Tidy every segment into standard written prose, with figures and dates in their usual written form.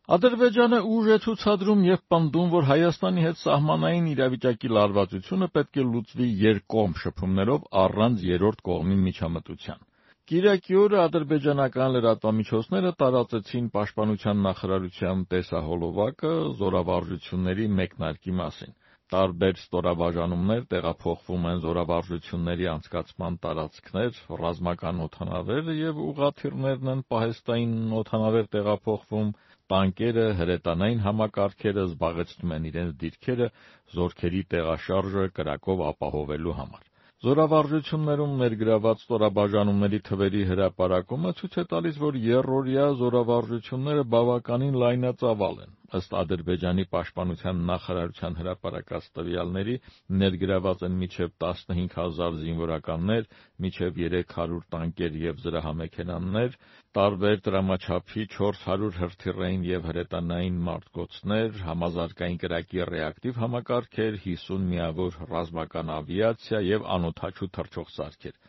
Ադրբեջանը ուժ է ցուցադրում եւ պնդում, որ Հայաստանի հետ սահմանային իրավիճակի լարվածությունը պետք է լուծվի երկկողմ շփումներով առանց երրորդ կողմի միջամտության։ Կիրակի օրը ադրբեջանական լրատվամիջոցները տարածեցին Պաշտպանության նախարարության տեսահոլովակը զորավարժությունների մեկնարկի մասին։ Տարբեր ստորաբաժանումներ տեղափոխվում են զորավարժությունների անցկացման տարածքներ, ռազմական օդանավերը եւ ուղղաթիռներն են պահեստային օդանավեր տեղափոխվում, տանկերը, հրետանային համակարգերը զբաղեցնում են իրենց դիրքերը զորքերի տեղաշարժը կրակով ապահովելու համար։ Զորավարժություններում ներգրաված ստորաբաժանումների թվերի հրապարակումը ցույց է տալիս, որ եռօրյա զորավարժությունները բավականին լայնածավալ են։ Ըստ Ադրբեջանի պաշտպանության նախարարության հրապարակած տվյալների, ներգրաված են մինչև 15,000 զինվորականներ, մինչև 300 տանկեր եւ զրահամեքենաներ, տարբեր տրամաչափի 400 հրթիռային եւ հրետանային մարտկոցներ, համազարգային կրակի ռեակտիվ համակարգեր, 50 միավոր ռազմական ավիացիա եւ անօդաչու թռչող սարքեր։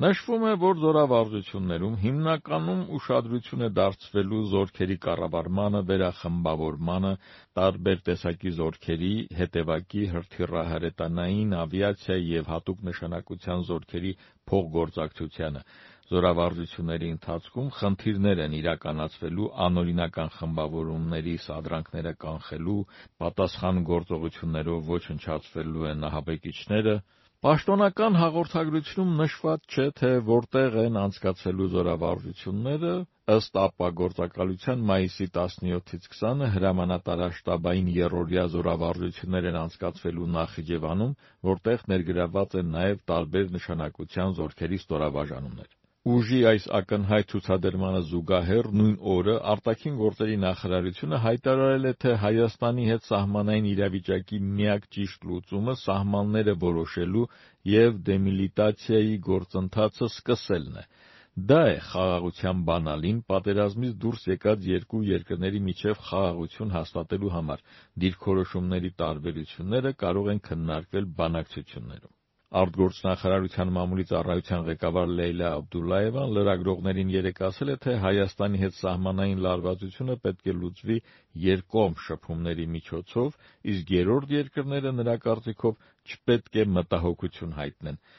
Նշվում է, որ զորավարժություններում հիմնականում ուշադրություն է դարձվելու զորքերի կառավարմանը, վերախմբավորմանը, տարբեր տեսակի զորքերի, հետևակի, հրթիռահրետանային, ավիացիայի եւ հատուկ նշանակության զորքերի փոխգործակցությանը։ Զորավարժությունների ընթացքում խնդիրներ են իրականացվելու անօրինական խմբավորումների սադրանքները կանխելու, պատասխան գործողություններով ոչնչացվելու են ահաբեկիչները։ Պաշտոնական հաղորդագրությունում նշված չէ, թե որտեղ են անցկացվելու զորավարժությունները, ըստ ԱՊԱ գործակալության մայիսի 17-ից 20-ը հրամանատարաշտաբային եռօրյա զորավարժություններ են անցկացվելու Նախիջևանում, որտեղ ներգրաված են նաև տարբեր նշանակության զորքերի ստորաբաժանումներ։ Ուժի այս ակնհայտ ցուցադրմանը զուգահեռ նույն օրը արտաքին գործերի նախարարությունը հայտարարել է, թե Հայաստանի հետ սահմանային իրավիճակի միակ ճիշտ լուծումը սահմանները որոշելու եւ դեմիլիտացիայի գործընթացը սկսելն է։ Դա է խաղաղության բանալին պատերազմից դուրս եկած երկու երկրների միջև խաղաղություն հաստատելու համար։ Դիրքորոշումների տարբերությունները կարող են քննարկվել բանակցություններում։ Արտգործնախարարության մամուլի ծառայության ղեկավար Լեյլա Աբդուլլաևան լրագրողներին երեկ ասել է, թե Հայաստանի հետ սահմանային լարվածությունը պետք է լուծվի երկկողմ շփումների միջոցով, իսկ երրորդ երկրները նրա կարծիքով չպետք է մտահոգություն հայտնեն։